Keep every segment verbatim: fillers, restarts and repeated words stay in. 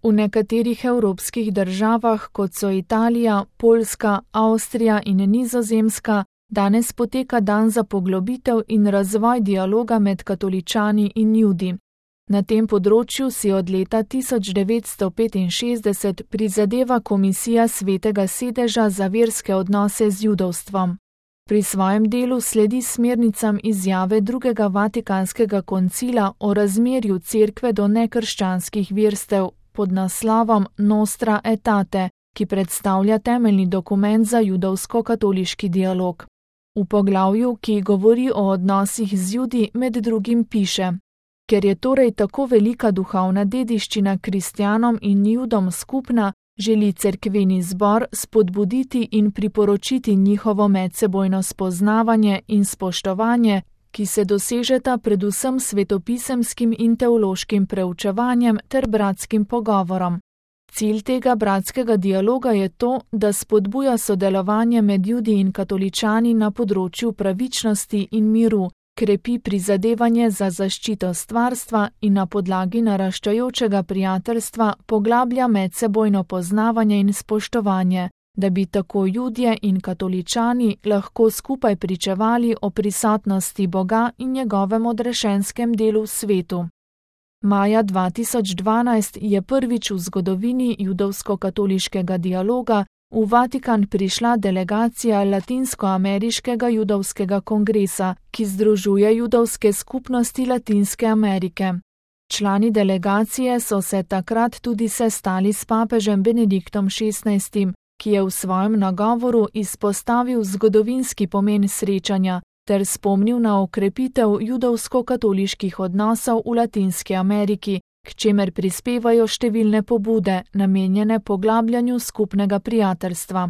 V nekaterih evropskih državah, kot so Italija, Poljska, Avstrija in Nizozemska, danes poteka dan za poglobitev in razvoj dialoga med katoličani in Judi. Na tem področju si od leta tisoč devetsto petinšestdeset prizadeva Komisija Svetega sedeža za verske odnose z judovstvom. Pri svojem delu sledi smernicam izjave drugega Vatikanskega koncila o razmerju cerkve do nekrščanskih verstev pod naslovom Nostra Aetate, ki predstavlja temeljni dokument za judovsko-katoliški dialog. V poglavju, ki govori o odnosih z Judi, med drugim piše: Ker je torej tako velika duhovna dediščina kristjanom in Judom skupna, želi cerkveni zbor spodbuditi in priporočiti njihovo medsebojno spoznavanje in spoštovanje, ki se dosežeta predvsem svetopisemskim in teološkim preučevanjem ter bratskim pogovorom. Cilj tega bratskega dialoga je to, da spodbuja sodelovanje med Judi in katoličani na področju pravičnosti in miru, krepi prizadevanje za zaščito stvarstva in na podlagi naraščajočega prijateljstva poglablja medsebojno poznavanje in spoštovanje, da bi tako Judje in katoličani lahko skupaj pričevali o prisotnosti Boga in njegovem odrešenskem delu v svetu. Maja dva tisoč dvanajst je prvič v zgodovini judovsko-katoliškega dialoga v Vatikan prišla delegacija Latinskoameriškega judovskega kongresa, ki združuje judovske skupnosti Latinske Amerike. Člani delegacije so se takrat tudi sestali s papežem Benediktom šestnajstim, ki je v svojem nagovoru izpostavil zgodovinski pomen srečanja ter spomnil na okrepitev judovsko-katoliških odnosov v Latinski Ameriki, k čemer prispevajo številne pobude, namenjene poglabljanju skupnega prijateljstva.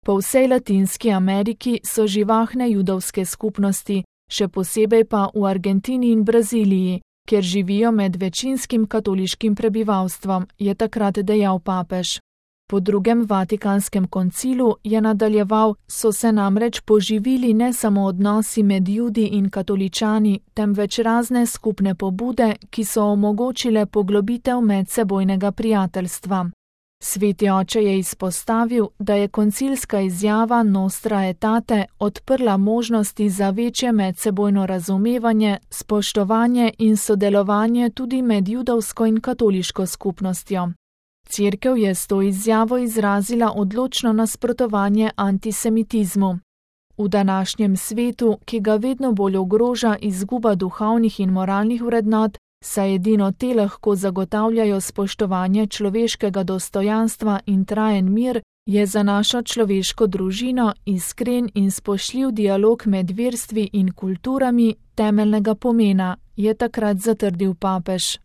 Po vsej Latinski Ameriki so živahne judovske skupnosti, še posebej pa v Argentini in Braziliji, kjer živijo med večinskim katoliškim prebivalstvom, je takrat dejal papež. Po drugem Vatikanskem koncilu je nadaljeval, so se namreč poživili ne samo odnosi med Judi in katoličani, temveč razne skupne pobude, ki so omogočile poglobitev medsebojnega prijateljstva. Sveti oče je izpostavil, da je koncilska izjava Nostra Aetate odprla možnosti za večje medsebojno razumevanje, spoštovanje in sodelovanje tudi med judovsko in katoliško skupnostjo. Cerkev je s to izjavo izrazila odločno nasprotovanje antisemitizmu. V današnjem svetu, ki ga vedno bolj ogroža izguba duhovnih in moralnih vrednot, saj edino te lahko zagotavljajo spoštovanje človeškega dostojanstva in trajen mir, je za našo človeško družino iskren in spoštljiv dialog med verstvi in kulturami temeljnega pomena, je takrat zatrdil papež.